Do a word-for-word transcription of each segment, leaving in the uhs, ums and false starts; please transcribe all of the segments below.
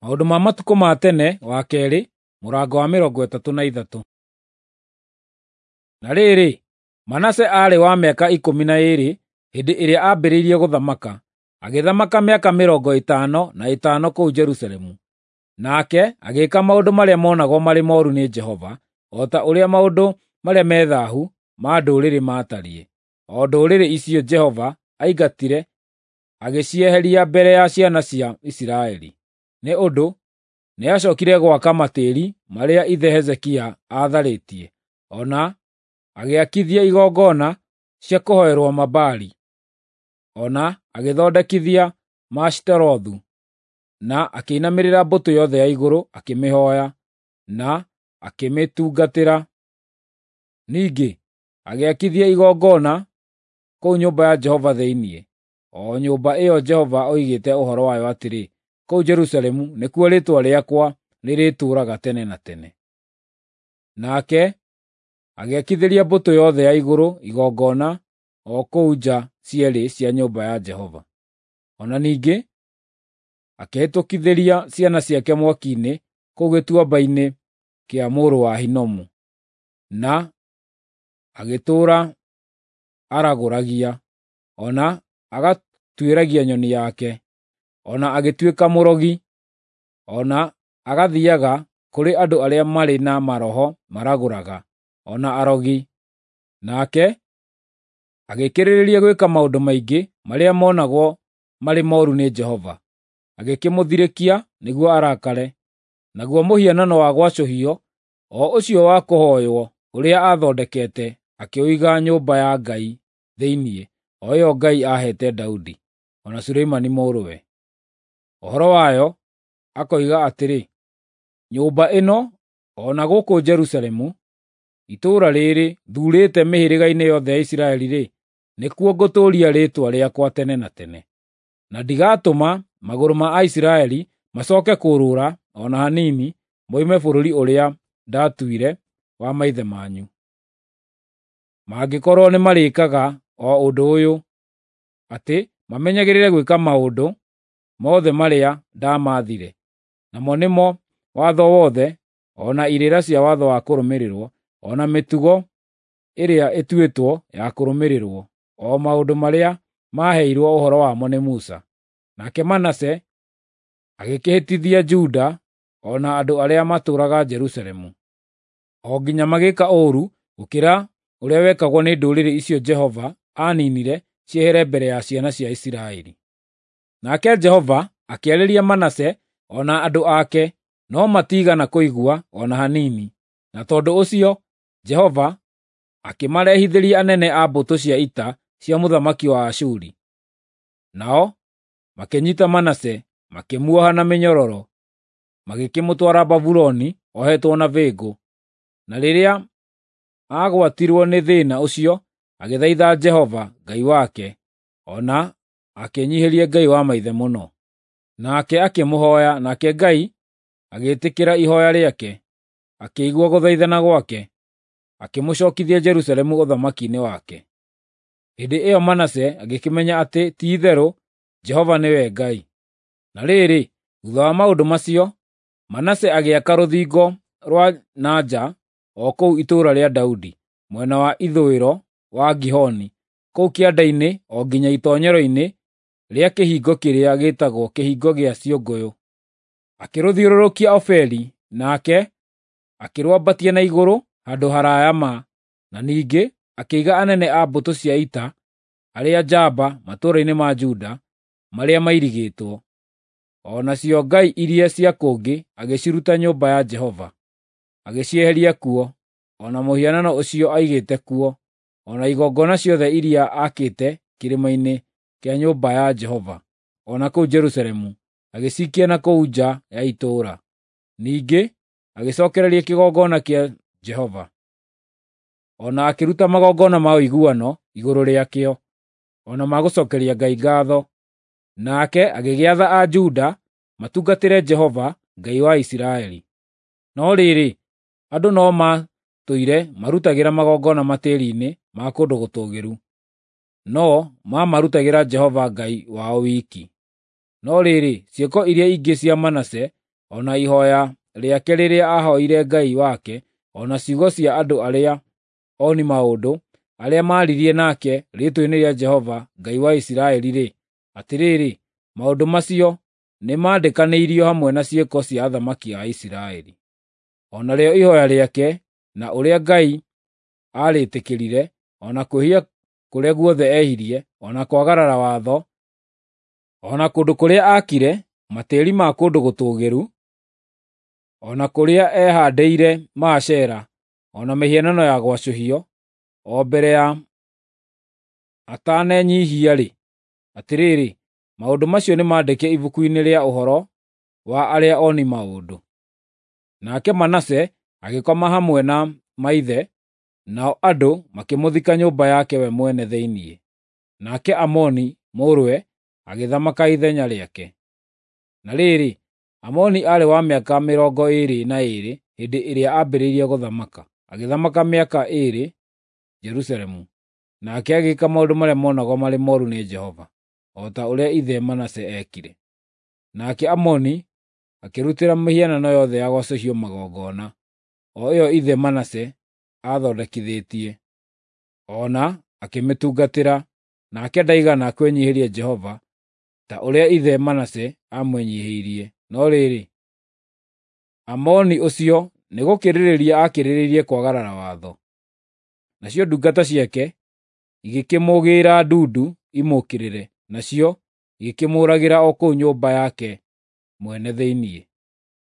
Maũndũ ma matukũ ma tene wa keerĩ mũrango wa mĩrongo ĩtatũ na ithatũ. Na rĩrĩ, Manase aarĩ wa mĩaka ikũmi na ĩĩrĩ hĩndĩ ĩrĩa aambĩrĩirie gũthamaka, agĩthamaka mĩaka mĩrongo ĩtano na ĩtano kũu Jerusalemu. Nake agĩĩka maũndũ marĩa monagwo marĩ mooru nĩ Jehova, o ta ũrĩa maũndũ marĩa me thaahu ma ndũrĩrĩ maatariĩ, o ndũrĩrĩ icio Jehova aingatire agĩcieheria mbere ya ciana cia Isiraeli. Nĩ ũndũ nĩacookire gwaka matĩĩri marĩa ithe Hezekia aatharĩtie, o na agĩakithia igongona cia kũhooerwo Mabaali, o na agĩthondekithia Maashitarothu, na akĩinamĩrĩra mbũtũ yothe ya igũrũ akĩmĩhooya, na akĩmĩtungatĩra. Ningĩ agĩakithia igongona kũu nyũmba ya Jehova thĩinĩ, o nyũmba ĩyo Jehova oigĩte ũhoro wayo atĩrĩ, “Kũu Jerusalemu nĩkuo Rĩĩtwa rĩakwa rĩrĩtũũraga tene na tene.” Nake agĩakithĩria mbũtũ yothe ya igũrũ igongona o kũu nja cierĩ cia nyũmba ya Jehova. O na ningĩ akĩhĩtũkithĩria ciana ciake mwaki-inĩ kũu gĩtuamba-inĩ kĩa mũrũ wa Hinomu, na agĩtũũra aragũragia, o na agatuĩragia nyoni yake, o na agĩtuĩka mũrogi, o na agathiiaga kũrĩ andũ arĩa marĩ na maroho maragũraga, o na arogi. Nake agĩkĩrĩrĩria gwĩka maũndũ maingĩ marĩa monagwo marĩ mooru nĩ Jehova, agĩkĩmũthirĩkia nĩguo arakare. Naguo mũhianano wa gwacũhio, o ũcio wa kũhooywo ũrĩa aathondekete, akĩũiga nyũmba ya Ngai thĩinĩ, o ĩyo Ngai aaheete Daudi, o na Solomoni mũrũwe. Ũhoro wayo akoiga atĩrĩ, “Nyũmba ĩno, o na gũkũ Jerusalemu, itũũra rĩĩrĩ thuurĩte mĩhĩrĩga-inĩ yothe ya Isiraeli-rĩ, nĩkuo ngũtũũria Rĩĩtwa rĩakwa tene na tene. Na ndigatũma magũrũ ma Aisiraeli macooke kũũrũra o na hanini moime bũrũri ũrĩa ndaatuire wa maithe manyu, mangĩkorwo nĩmarĩĩkaga o ũndũ ũyũ, atĩ mamenyagĩrĩre gwĩka maũndũ mothe marĩa ndamaathire, namo nĩmo watho wothe, o na irĩra cia watho wa kũrũmĩrĩrwo, o na mĩtugo ĩrĩa ĩtuĩtwo ya kũrũmĩrĩrwo, o maũndũ marĩa maaheirwo ũhoro wamo nĩ Musa.” Nake Manase agĩkĩhĩtithia Juda o na andũ arĩa maatũũraga Jerusalemu, o nginya magĩĩka ũũru gũkĩra ũrĩa wekagwo nĩ ndũrĩrĩ icio Jehova aaniinire ciehere mbere ya ciana cia Isiraeli. Nake Jehova akĩarĩria Manase o na andũ ake, no matiigana kũigua o na hanini, na tondũ ũcio Jehova akĩmarehithĩria anene a mbũtũ cia ita cia mũthamaki wa Ashuri. Nao makĩnyiita Manase, makĩmuoha na mĩnyororo, magĩkĩmũtwara Babuloni ohetwo na bĩngũ. Na rĩrĩa aagwatirwo nĩ thĩĩna ũcio, agĩthaitha Jehova Ngai wake, o na akĩĩnyiihĩria Ngai wa maithe mũno. Nake akĩmũhooya, nake Ngai agĩĩtĩkĩra ihooya rĩake, akĩigua gũthaithana gwake, akĩmũcookithia Jerusalemu ũthamaki-inĩ wake. Hĩndĩ ĩyo Manase agĩkĩmenya atĩ ti-itherũ Jehova nĩwe Ngai. Na rĩrĩ, thuutha wa maũndũ macio, Manase agĩaka rũthingo rwa na nja o kũu itũũra rĩa Daudi, mwena wa ithũĩro wa Gihoni, kũu kĩanda-inĩ o nginya itoonyero-inĩ rĩa kĩhingo kĩrĩa gĩĩtagwo Kĩhingo gĩa Ciũngũyũ. Akĩrũthiũrũrũkia Ofeli, nake akĩrwambatia na igũrũ handũ haraaya ma, na ningĩ akĩiga anene a mbũtũ cia ita arĩa njamba matũũra-inĩ ma Juda marĩa mairigĩtwo. O nacio ngai iria cia kũngĩ agĩciruta nyũmba ya Jehova, agĩcieheria kuo, o na mũhianano ũcio aigĩte kuo, o na igongona ciothe iria aakĩte kĩrĩma-inĩ kĩa nyũmba ya Jehova, o na kũu Jerusalemu, agĩcikia na kũu nja ya itũũra. Ningĩ agĩcookereria kĩgongona kĩa Jehova, o na akĩruta magongona ma ũiguano igũrũ rĩakĩo, o na ma gũcookeria Ngai ngaatho. Nake agĩgĩatha a Juda matungatĩre Jehova, Ngai wa Isiraeli. No rĩrĩ, andũ no maatũire marutagĩra magongona matĩĩri-inĩ ma kũndũ gũtũũgĩru, no maamarutagĩra Jehova Ngai wao wiki. No rĩrĩ, ciĩko iria ingĩ cia Manase o na ihooya rĩake rĩrĩa aahoire Ngai wake, o na ciugo cia andũ arĩa oni maũndũ, arĩa maaririe nake rĩĩtwa-inĩ rĩa Jehova Ngai wa Isiraeli-rĩ, atĩrĩrĩ, maũndũ macio nĩmandĩkanĩirio hamwe na ciĩko cia athamaki a Isiraeli. O narĩo ihooya rĩake, na ũrĩa Ngai aarĩtĩkĩrire, o na kwĩhia kũrĩa guothe ehirie, o na kwagarara watho, o na kũndũ kũrĩa aakire matĩĩri ma kũndũ gũtũũgĩru, o na kũrĩa ehaandĩire Maashera, o na mĩhianano ya gwacũhio, o mbere ya atanenyiihia-rĩ, atĩrĩrĩ, maũndũ macio nĩmandĩke ibuku-inĩ rĩa ũhoro wa arĩa oni maũndũ. Nake Manase agĩkoma hamwe na maithe, nao andũ makĩmũthika nyũmba yake we mwene thĩinĩ. Nake Amoni mũrũwe agĩthamaka ithenya rĩake. Na rĩrĩ, Amoni aarĩ wa mĩaka mĩrongo ĩĩrĩ na ĩĩrĩ hĩndĩ ĩrĩa aambĩrĩirie gũthamaka, agĩthamaka mĩaka ĩĩrĩ Jerusalemu. Nake agĩĩka maũndũ marĩa monagwo marĩ mooru nĩ Jehova, o ta ũrĩa ithe Manase eekire. Nake Amoni akĩrutĩra mĩhianano yothe ya gwacũhio magongona, o ĩyo ithe Manase aathondekithĩtie, o na akĩmĩtungatĩra, nake ndaigana kwĩnyiihĩria Jehova ta ũrĩa ithe Manase aamwĩnyiihĩirie. No rĩrĩ, Amoni ũcio nĩgũkĩrĩrĩria aakĩrĩrĩirie kwagarara watho. Nacio ndungata ciake igĩkĩmũgĩĩra ndundu imũũkĩrĩre, nacio igĩkĩmũũragĩra o kũu nyũmba yake mwene thĩinĩ.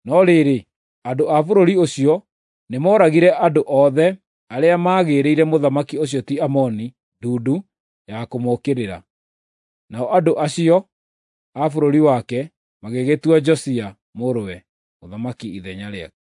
No rĩrĩ, andũ a bũrũri ũcio nĩmooragire andũ othe arĩa maagĩrĩire mũthamaki ũcio ti Amoni ndundu ya kũmũũkĩrĩra. Nao andũ acio a bũrũri wake magĩgĩtua Josia mũrũwe mũthamaki ithenya rĩake.